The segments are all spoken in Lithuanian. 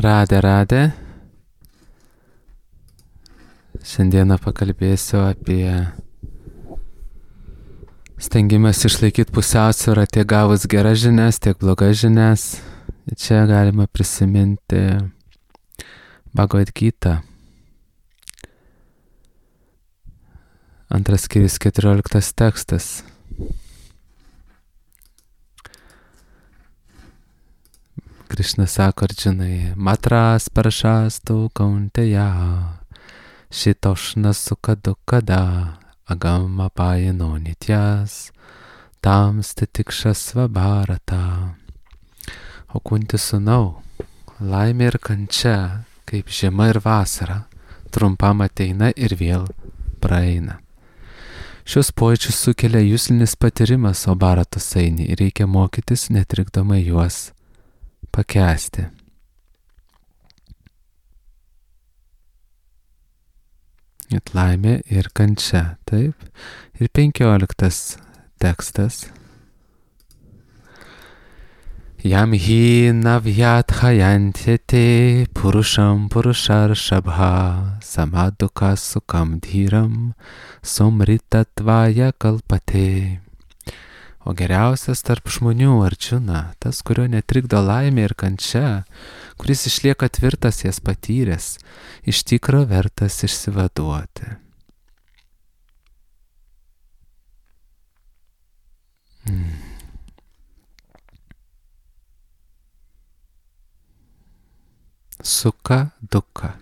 Radė. Šiandieną pakalbėsiu apie stengimas išlaikyti pusiausvyrą tiek gavus geras žinias, tiek blogas žinias. Čia galima prisiminti Bhagavad Gita. Antras skyrius 14 tekstas. Krishna sako Arjunai, matras paršastų kaunteja, šitošna sukadukada, agama pajino nitjas, tamsti tikšasva bharata. O Kunti sūnau, laimė ir kančia, kaip žiema ir vasara, trumpam ateina ir vėl praeina. Šios pojūčius sukelia juslinis patyrimas, o bharatos eini ir reikia mokytis netrikdomai juos pakęsti. Net laimė ir kančia, taip. Ir 15 tekstas. Jam hi navyat hayantyate purusham purusharshabha samaduka sukam dhyram somritatvaya kalpate. O geriausias tarp žmonių Arjuna, tas, kurio netrikdo laimė ir kančia, kuris išlieka tvirtas jas patyręs, iš tikro vertas išsivaduoti. Suka duka.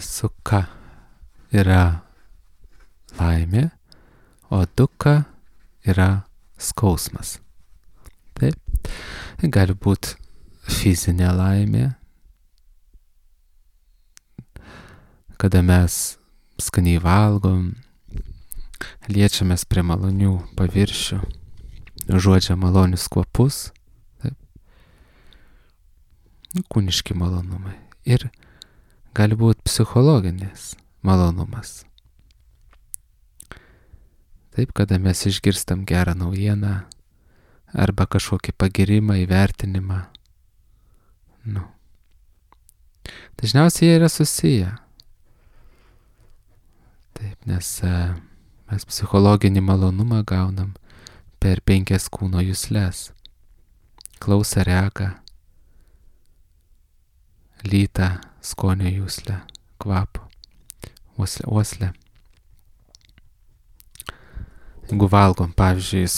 Suka yra laimė, o duka yra skausmas. Taip. Gali būti fizinė laimė, kada mes skaniai valgom, liečiamės prie malonių paviršių, užuodžiam malonius kvapus, taip. Kūniški malonumai. Ir gali būti psichologinis malonumas. Taip, kada mes išgirstam gerą naujieną arba kažkokį pagirimą, įvertinimą. Dažniausiai jie yra susiję. Taip, nes mes psichologinį malonumą gaunam per 5 kūno jusles. Klausą, regą, lytą, skonio juslę, kvapą, uoslę. Jeigu valgom, pavyzdžiui,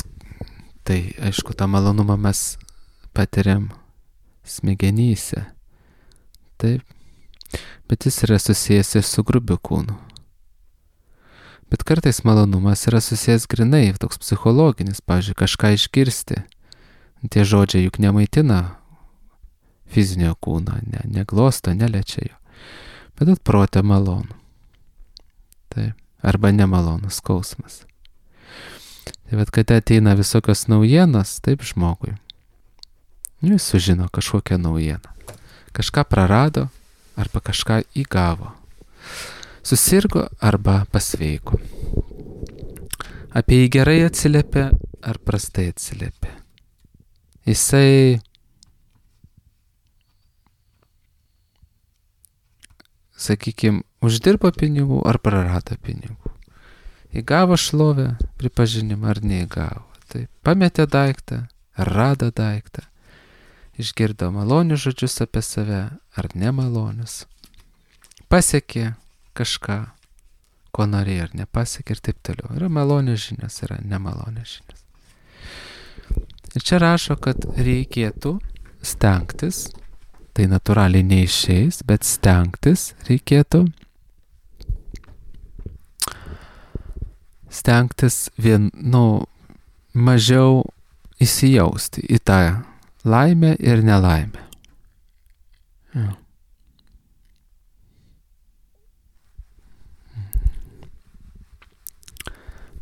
tai aišku, tą malonumą mes patiriam smegenyse. Taip. Bet jis yra susijęs ir su grubiu kūnu. Bet kartais malonumas yra susijęs grinai, toks psichologinis, pavyzdžiui, kažką išgirsti. Tie žodžiai juk nemaitina fizinio kūno, neglosto, neliečia jo. Bet atprotė malonu. Taip. Arba nemalonus skausmas. Tai bet kada ateina visokios naujienos, taip žmogui. Jis sužino kažkokią naujieną. Kažką prarado arba kažką įgavo. Susirgo arba pasveiko. Apie jį gerai atsiliepia ar prastai atsiliepia. Jisai sakykime, uždirbo pinigų ar prarado pinigų. Įgavo šlovę, pripažinimą ar neįgavo. Tai pametė daiktą, ar rado daiktą. Išgirdo malonius žodžius apie save, ar nemalonius. Pasiekė kažką, ko norėjo, ar nepasiekė ir taip toliau. Yra malonios žinios, yra nemalonios žinios. Ir čia rašo, kad reikėtų stengtis, tai natūraliai neišeis, bet stengtis reikėtų mažiau įsijausti į tą laimę ir nelaimę.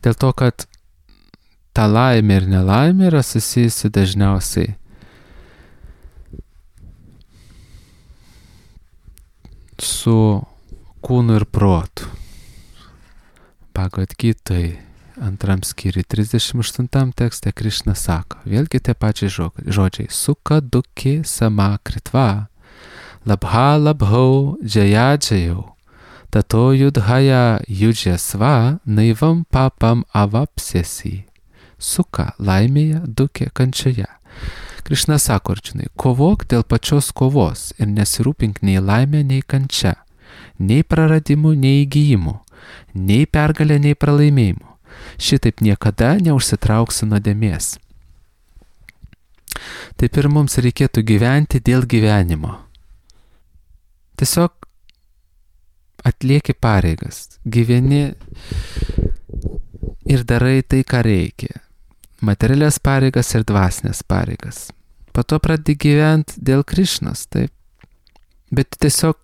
Dėl to, kad ta laimė ir nelaimė yra susijusi dažniausiai su kūnu ir protu. Bhagavad Gitai 2 skyriui 38 tekste Krišna sako, vėlgi tie pačiai žodžiai, suka duki sama kritva, labha labhau džaya džayau, tato judhaya yudžesva naivam papam avapsiesi. Suka laimėje, dukė kančioje. Krišna sako Arjunai, kovok dėl pačios kovos ir nesirūpink nei laimė, nei kančia, nei praradimu, nei įgyjimu, nei pergalė, nei pralaimėjimu. Šitaip niekada neužsitrauksi nuodėmės. Taip ir mums reikėtų gyventi dėl gyvenimo. Tiesiog atlieki pareigas, gyveni ir darai tai, ką reikia. Materialias pareigas ir dvasinės pareigas. Po to pradedi gyventi dėl Krišnos, taip. Bet tiesiog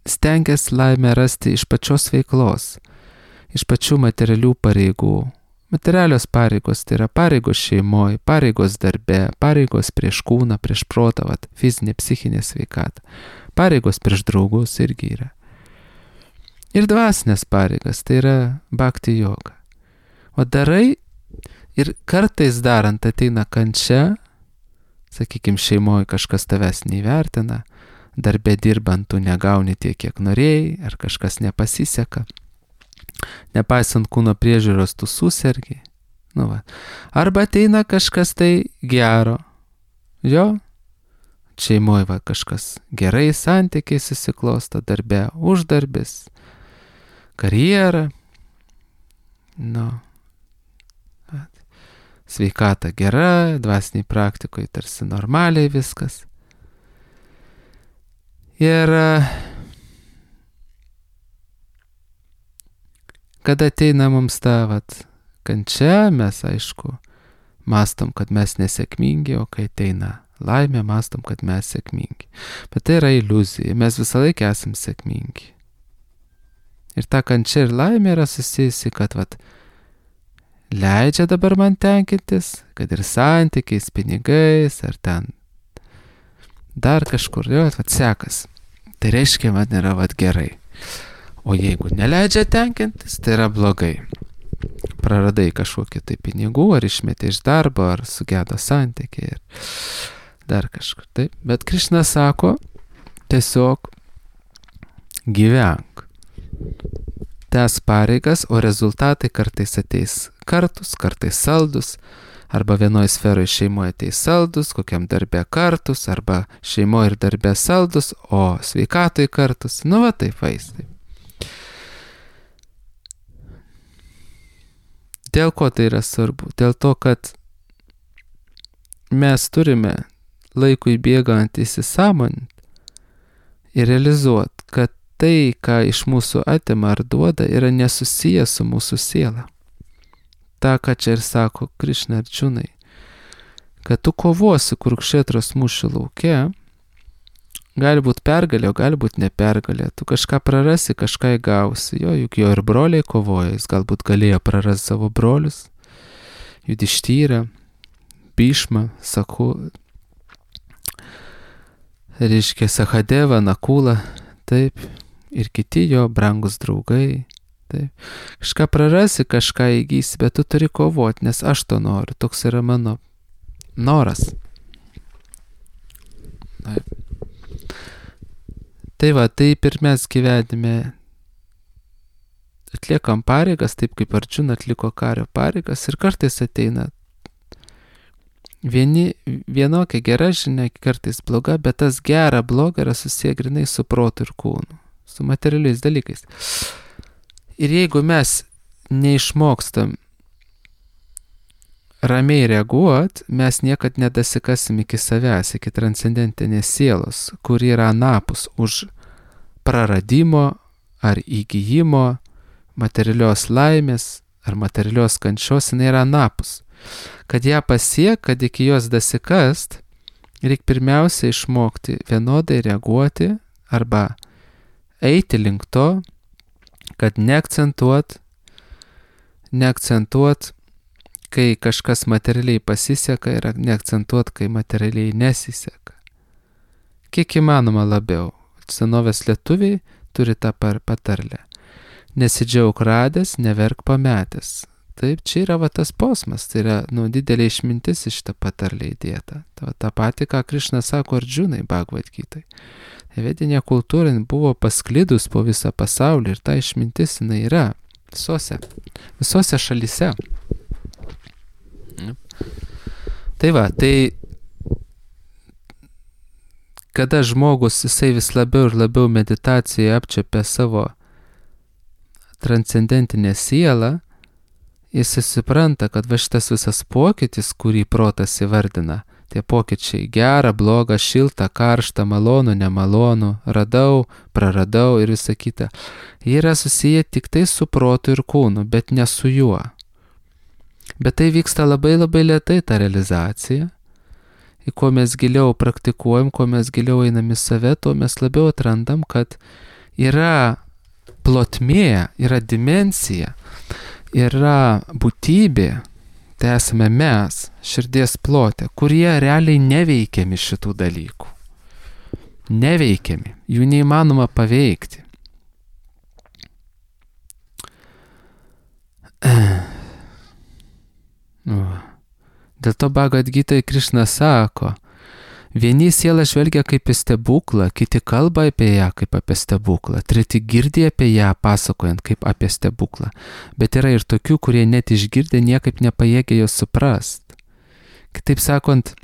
stengiasi laimę rasti iš pačios veiklos, iš pačių materialių pareigų. Materialios pareigos tai yra pareigos šeimoje, pareigos darbe, pareigos prieš kūną, prieš protą, fizinė, psichinė sveikata. Pareigos prieš draugus irgi yra. Ir dvasinės pareigas tai yra bhakti joga. O darai ir kartais darant ateina kančia, sakykime, šeimoje kažkas tavęs neįvertina, darbe dirbant tu negauni tiek, kiek norėjai, ar kažkas nepasiseka. Nepaisant kūno priežiūros tu susergi. Arba ateina kažkas tai gero. Jo, šeimoje kažkas gerai santykiai susiklosto, darbe uždarbis, karjera. Sveikata gera, dvasiniai praktikoje tarsi normaliai viskas. Ir kada ateina mums ta kančia, mes aišku mąstom, kad mes nesėkmingi, o kai ateina laimė, mąstom, kad mes sėkmingi. Bet tai yra iliuzija, mes visą laiką esam sėkmingi. Ir ta kančia ir laimė yra susijusi, kad leidžia dabar man tenkintis, kad ir santykiais, pinigais, ar ten dar kažkur, sekas. Tai reiškia, man yra gerai. O jeigu neleidžia tenkintis, tai yra blogai. Praradai kažkokį tai pinigų, ar išmetė iš darbo, ar sugedo santykiai, ir dar kažkur. Taip. Bet Krišna sako, tiesiog gyvenk. Tęs pareigas, o rezultatai kartais ateis kartus, kartais saldus, arba vienoje sferoje šeimoje ateis saldus, kokiam darbe kartus, arba šeimoje ir darbe saldus, o sveikatoje kartus. Taip vaistai. Dėl ko tai yra svarbu? Dėl to, kad mes turime laikui bėgant įsisąmoninti ir realizuoti, kad tai, ką iš mūsų atima ar duoda, yra nesusijęs su mūsų siela. Ta, ką čia ir sako Krišna Arjunai, kad tu kovosi Kurukšetros mūšio lauke, gali būti pergalė, o gali būti nepergalė. Tu kažką prarasi, kažką įgausi. Juk jo ir broliai kovoja, jis galbūt galėjo prarasti savo brolius, Judištyrą, Bhishmą, Sahadevą, Nakulą, taip, ir kiti jo brangus draugai. Taip. Kažką prarasi, kažką įgysi, bet tu turi kovoti, nes aš to noriu. Toks yra mano noras. Taip. Taip ir mes gyvenime atliekam pareigas, taip kaip Arjuna atliko kario pareigas, ir kartais ateina vienokia gera žinia, kartais bloga, bet tas gera, bloga yra susiję grinai su protu ir kūnu, su materialiais dalykais. Ir jeigu mes neišmokstam ramiai reaguot, mes niekad nedasikasim iki savęs, iki transcendentinės sielos, kur yra anapus už praradimo ar įgyjimo, materialios laimės ar materialios kančios, jinai yra anapus. Kad ją pasiek, kad iki jos dasikast, reikia pirmiausia išmokti vienodai reaguoti arba eiti link to, kad neakcentuot, kai kažkas materialiai pasiseka, ir neakcentuot, kai materialiai nesiseka. Kiek įmanoma labiau. Senovės lietuviai turi tą patarlę. Nesidžiauk radęs, neverk pametęs. Taip, čia yra va tas posmas, tai yra didelė išmintis iš tą patarlę įdėta. Ta pati, ką Krišna sako Ardžunai Bhagavad Gitai. Vedinė kultūra buvo pasklidus po visą pasaulį ir ta išmintis jinai yra visose šalyse. Tai va, tai kada žmogus jisai vis labiau ir labiau meditacijoje apčiopia savo transcendentinę sielą, jis supranta, kad va šitas visas pokytis, kurį protas įvardina, tie pokyčiai gera, bloga, šilta, karšta, malonu, nemalonu, radau, praradau ir visa kita, jie yra susiję tik tai su protu ir kūnu, bet ne su juo. Bet tai vyksta labai labai lėtai ta realizacija. Į kuo mes giliau praktikuojam, kuo mes giliau einam į save, tuo mes labiau atrandam, kad yra plotmė, yra dimensija, yra būtybė, tai esame mes, širdies plote, kurie realiai neveikiami šitų dalykų. Neveikiami, jų neįmanoma paveikti. Dėl to Bhagavad Gitai Krišna sako, vieni sielą žvelgia kaip į stebuklą, kiti kalba apie ją kaip apie stebuklą, treti girdi apie ją pasakojant kaip apie stebuklą, bet yra ir tokių, kurie net išgirdę niekaip nepajėgia jos suprast. Kitaip sakant,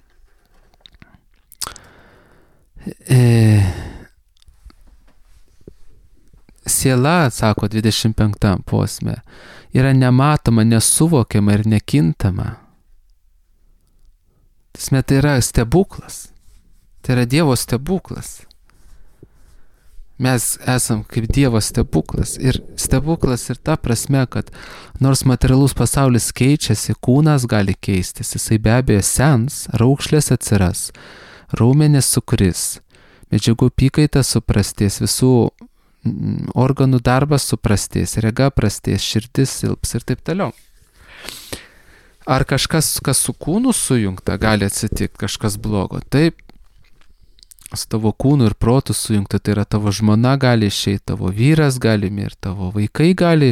siela, sako 25 posme, yra nematoma, nesuvokiama ir nekintama. Tai yra stebuklas. Tai yra Dievo stebuklas. Mes esam kaip Dievo stebuklas. Ir stebuklas ir ta prasme, kad nors materialus pasaulis keičiasi, kūnas gali keistis, jisai be abejo sens, raukšlės atsiras, raumenys sukris, medžiagų apykaita suprastės, visų organų darbas suprastės, rega prastės, širdis silps ir taip toliau. Ar kažkas, kas su kūnu sujungta, gali atsitikti kažkas blogo? Taip, su tavo kūnu ir protu sujungta, tai yra tavo žmona gali išeiti, tavo vyras gali mirti, tavo vaikai gali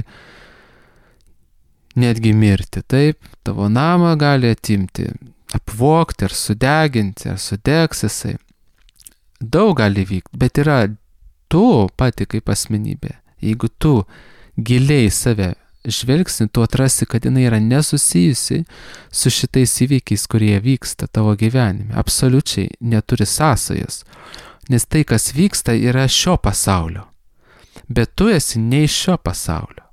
netgi mirti, taip, tavo namą gali atimti, apvogti ar sudeginti, ar sudegs jisai. Daug gali vykti, bet yra tu pati kaip asmenybė. Jeigu tu giliai save žvelgsi, tu atrasi, kad jinai yra nesusijusi su šitais įvykiais, kurie vyksta tavo gyvenime. Absoliučiai neturi sąsajos. Nes tai, kas vyksta, yra šio pasaulio. Bet tu esi ne iš šio pasaulio.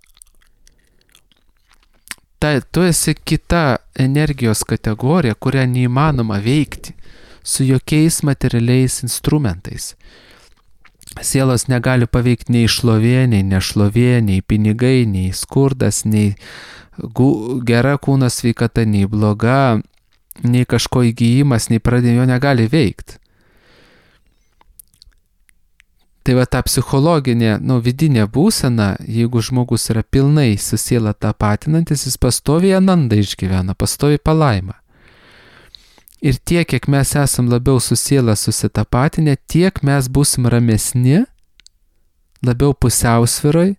Tu esi kita energijos kategorija, kurią neįmanoma veikti su jokiais materialiais instrumentais. Sielos negali paveikti nei šlovė, nei nešlovė, nei pinigai, nei skurdas, nei gera kūno sveikata, nei bloga, nei kažko įgyjimas, nei pradėjo negali veikti. Tai va ta psichologinė, vidinė būsena, jeigu žmogus yra pilnai su siela tapatinantis, jis pastoviai anandą išgyvena, pastoviai palaimą. Ir tiek, kiek mes esam labiau su siela susitapatinę, tiek mes būsim ramesni, labiau pusiausvyroj,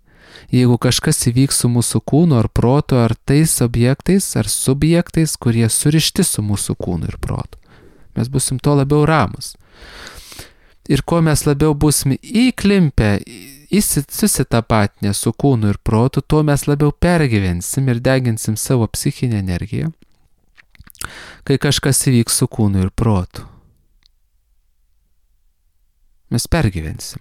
jeigu kažkas įvyks su mūsų kūnu ar protu, ar tais objektais, ar subjektais, kurie surišti su mūsų kūnu ir protu. Mes būsim to labiau ramus. Ir kuo mes labiau būsim įklimpę, susitapatinę su kūnu ir protu, tuo mes labiau pergyvensim ir deginsim savo psichinę energiją, kai kažkas įvyks su kūnu ir protu. Mes pergyvensim.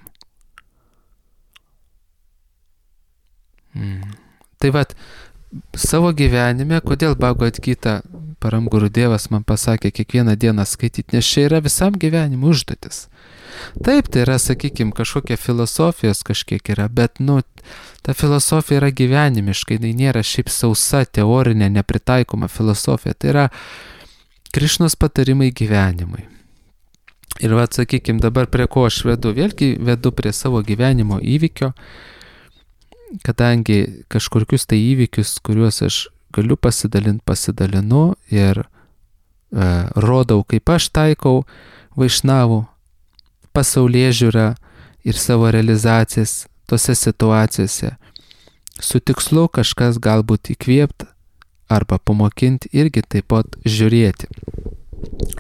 Tai vat, savo gyvenime, kodėl Bhagavad Gita Param Gurudevas man pasakė kiekvieną dieną skaityti, nes čia yra visam gyvenimui užduotis. Taip, tai yra, sakykime, kažkokia filosofijos kažkiek yra, bet, ta filosofija yra gyvenimiškai, tai nėra šiaip sausa, teorinė, nepritaikoma filosofija, tai yra Krišnos patarimai gyvenimui. Ir sakykime, dabar prie ko aš vedu, vėlgi vedu prie savo gyvenimo įvykio, kadangi kažkokius tai įvykius, kuriuos aš galiu pasidalinu ir rodau, kaip aš taikau vaišnavų pasaulėžiūrą ir savo realizacijas tose situacijose. Su tikslu kažkas galbūt įkvėpti, arba pamokinti irgi taip pat žiūrėti.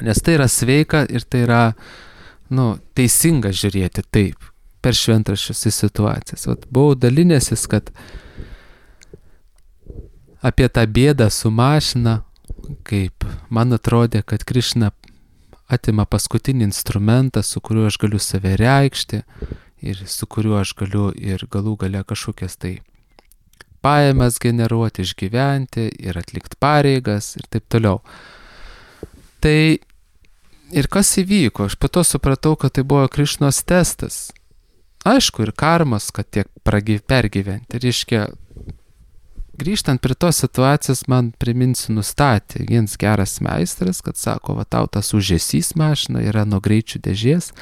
Nes tai yra sveika ir tai yra, teisinga žiūrėti taip, per šventraščius į situacijas. Buvau dalinęsis, kad apie tą bėdą su mašina, kaip man atrodė, kad Krišna atima paskutinį instrumentą, su kuriuo aš galiu save reikšti ir su kuriuo aš galiu ir galų gale kažkokias tai pajamas generuoti, išgyventi ir atlikti pareigas ir taip toliau. Tai ir kas įvyko? Aš po to supratau, kad tai buvo Krišnos testas. Aišku, ir karmas, kad tiek pergyventi. Reiškia, grįžtant prie tos situacijos, man priminsiu, nustatė vienas geras meistras, kad sako, tau tas užesys mašina yra nuo greičių dėžės,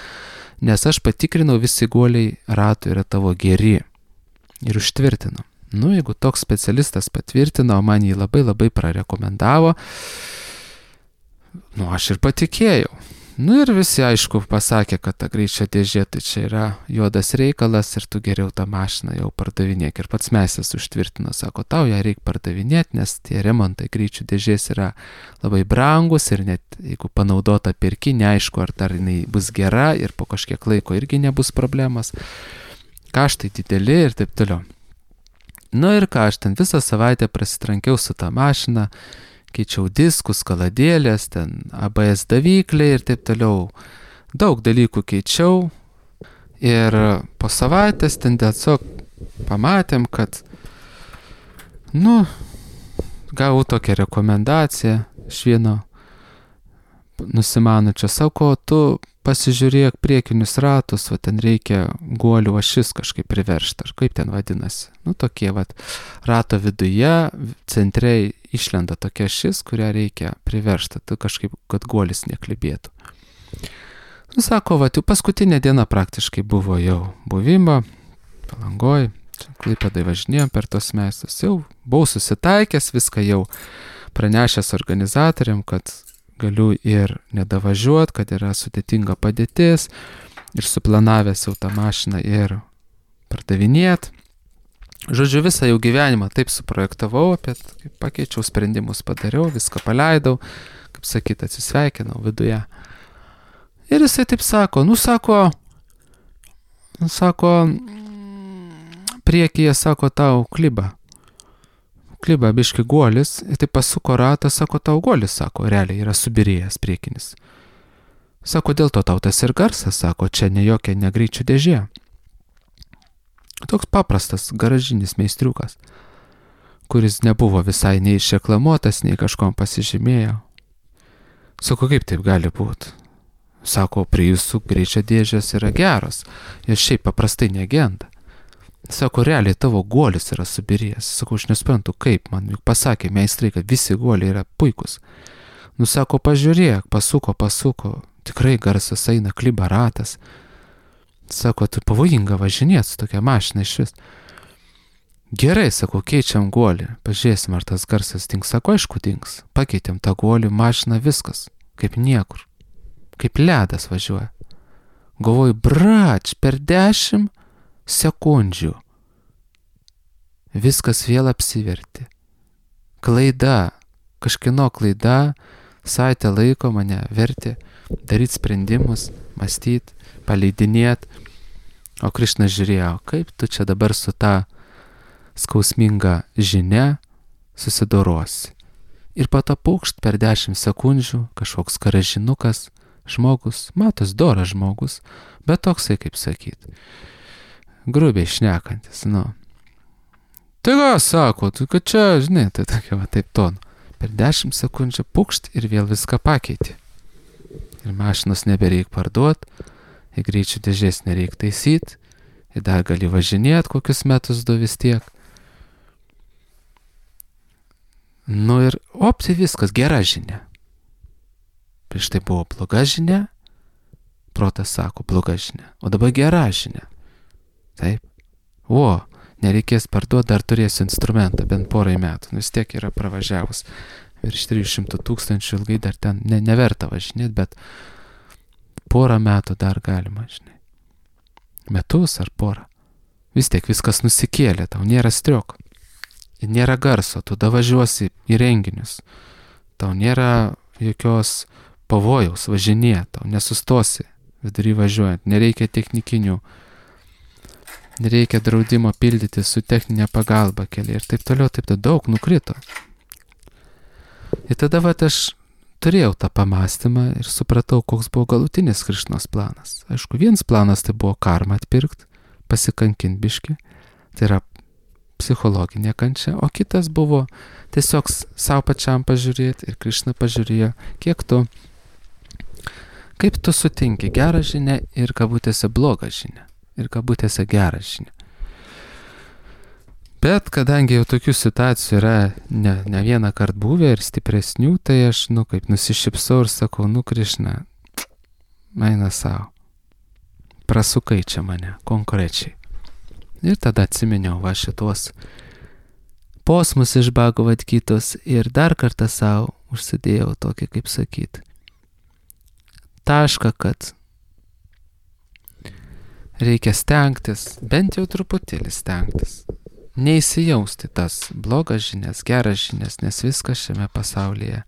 nes aš patikrinau, visi guoliai ratų yra tavo geri. Ir užtvirtino. Jeigu toks specialistas patvirtino, man jį labai labai prarekomendavo, aš ir patikėjau. Ir visi, aišku, pasakė, kad ta greičio dėžė tai čia yra juodas reikalas ir tu geriau tą mašiną jau pardavinėk. Ir pats meistras užtvirtino, sako, tau ją reikia pardavinėti, nes tie remontai greičių dėžės yra labai brangus ir net jeigu panaudota pirki, neaišku, ar dar jinai bus gera ir po kažkiek laiko irgi nebus problemas. Kaštai dideli ir taip toliau. Ir ką, aš ten visą savaitę prasitrankiau su tą mašiną, keičiau diskus, kaladėlės, ten ABS davikliai ir taip toliau. Daug dalykų keičiau ir po savaitės ten tiesiog pamatėm, kad, gavau tokią rekomendaciją iš vieno nusimanučio, sako, tu pasižiūrėk priekinius ratus, ten reikia guolių ašis kažkaip priveršti, ar kaip ten vadinasi. Tokie rato viduje, centre išlenda tokia ašis, kurią reikia priveršti, tai kažkaip, kad guolis neklibėtų. Sako, jau paskutinė diena praktiškai buvo jau buvimo, Palangoj, Klaipėdai važinėjom per tos meistrus, jau buvau susitaikęs, viską jau pranešęs organizatoriam, kad galiu ir nedavažiuoti, kad yra sudėtinga padėtis ir suplanavęs jau tą mašiną ir pardavinėti. Žodžiu, visą jau gyvenimą taip suprojektavau, pakeičiau sprendimus, padariau, viską paleidau, kaip sakyt, atsisveikinau viduje. Ir jisai taip sako, priekyje, sako, tau kliba biški guolis, ir taip pasuko ratą, sako, tau guolis, sako, realiai yra subirėjęs priekinis. Sako, dėl to tau tas ir garsas, sako, čia ne jokia negreičių dėžė. Toks paprastas garažinis meistriukas, kuris nebuvo visai nei išreklamuotas, nei kažkom pasižymėjo. Sako, kaip taip gali būti? Sako, prie jūsų greičio dėžės yra geros, jos šiaip paprastai negenda. Sako, realiai tavo guolis yra subirėjęs. Sako, aš nesprantu, kaip, man juk pasakė meistrai, kad visi guoliai yra puikus. Sako, pažiūrėk, pasuko, tikrai garsas eina, kliba ratas. Sako, tu pavojinga važinėt su tokia mašina iš vis. Gerai, sako, keičiam guolį, pažiūrėsim, ar tas garsas dings. Sako, aišku, dings. Pakeitėm tą guolį, mašiną, viskas, kaip niekur. Kaip ledas važiuoja. Galvoju, brač, per 10 sekundžių viskas vėl apsivertė. Klaida, kažkieno klaida, savaitę laiko mane vertė daryti sprendimus, mąstyti, paleidinėti. O Krišna žiūrėjo, kaip tu čia dabar su ta skausminga žinia susidorosi. Ir patapukšt per 10 sekundžių kažkoks garažinukas, žmogus, matos, doras žmogus, bet toksai, kaip sakyt, grubiai šnekantis, Tai ką, sako, tu kad čia, žinai, tai tokia taip tonu. Per 10 sekundžių pukšt ir vėl viską pakeitė. Ir mašinos nebereik parduoti, ir greičių dėžės nereik taisyti, ir dar gali važinėti kokius metus du vis tiek. Ir tai viskas, gera žinia. Prieš tai buvo bloga žinia, protas sako, bloga žinia, o dabar gera žinia. Taip. Nereikės parduoti, dar turėsiu instrumentą, bent porai metų. Vis tiek yra pravažiavus virš 300 000, ilgai dar ten neverta važinėti, bet porą metų dar galima, žinai. Metus ar porą. Vis tiek viskas nusikėlė, tau nėra strioko. nėra garso, tu davažiuosi į renginius, tau nėra jokios pavojaus važinėti, tau nesustosi vidury važiuojant, nereikia technikinių, nereikia draudimo pildyti su techninė pagalba keliai ir taip toliau, taip daug nukrito. Ir tada aš turėjau tą pamastymą ir supratau, koks buvo galutinis Krišnos planas. Aišku, vienas planas tai buvo karmą atpirkti, pasikankinti biškį, tai yra psichologinė kančia, o kitas buvo tiesiog savo pačiam pažiūrėti ir Krišna pažiūrėjo, kaip tu sutinki gerą žinią ir kabutėse blogą žinią ir kabutėse gerą žinią. Bet kadangi jau tokių situacijų yra ne vieną kartą buvę ir stipresnių, tai aš, kaip nusišypsau ir sakau, Krišna, eina savo, prasukai čia mane konkrečiai. Ir tada atsiminiau šitos posmus iš Bhagavad Gitos ir dar kartą savo užsidėjau tokį, kaip sakyti, tašką, kad reikia stengtis, bent jau truputėlį stengtis, neįsijausti tas blogas žinias, geras žinias, nes viskas šiame pasaulyje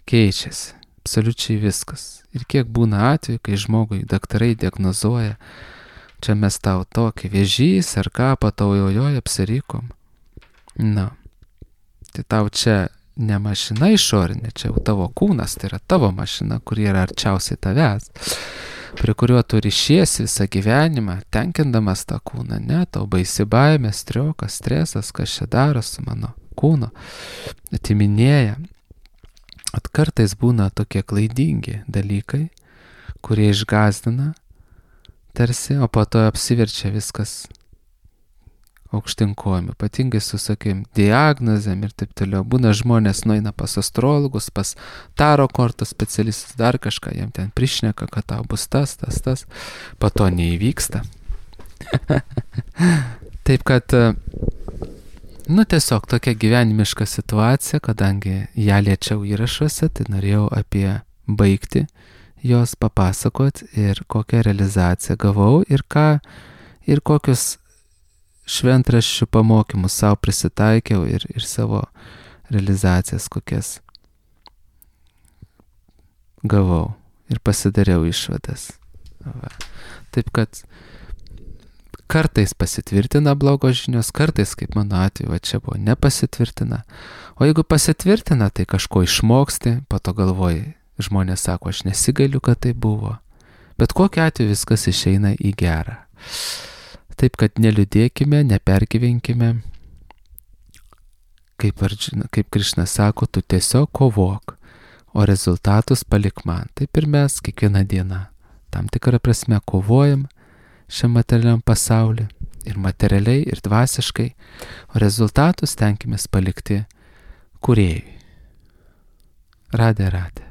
keičiasi, absoliučiai viskas. Ir kiek būna atveju, kai žmogui daktarai diagnozuoja, čia mes tau tokį vėžys ar ką, pataujojoje apsirikom. Tai tau čia ne mašina išorinė, čia jau tavo kūnas, tai yra tavo mašina, kuri yra arčiausiai tavęs, prie kurio tu ryšiesi visą gyvenimą, tenkindamas tą kūną, ne, tau baisi baimė, striokas, stresas, kas čia daro su mano kūno, atiminėja. Kartais būna tokie klaidingi dalykai, kurie išgąsdina tarsi, o po to apsiverčia viskas aukštyn kojom, ypatingai su, diagnozėm ir taip toliau. Būna žmonės nueina pas astrologus, pas taro kortų specialistus, dar kažką, jiem ten prišneka, kad tau bus tas, po to neįvyksta. Taip kad, tiesiog tokia gyvenimiška situacija, kadangi ją liečiau įrašuose, tai norėjau apie baigti jos papasakot ir kokią realizaciją gavau ir kokius šventraščių pamokymus savo prisitaikiau ir savo realizacijas kokias gavau ir pasidariau išvadas. Taip kad kartais pasitvirtina blogos žinios, kartais, kaip mano atveju, čia buvo nepasitvirtina. O jeigu pasitvirtina, tai kažko išmoksti, po to galvoji, žmonės sako, aš nesigailiu, kad tai buvo. Bet kokiu atveju viskas išeina į gerą. Taip kad neliūdėkime, nepergyvenkime. Kaip Krišna sako, tu tiesiog kovok, o rezultatus palik man. Taip ir mes kiekvieną dieną tam tikrą prasme kovojam šiam materialiam pasauliu ir materialiai, ir dvasiškai, o rezultatus tenkimės palikti kūrėjui. Radė.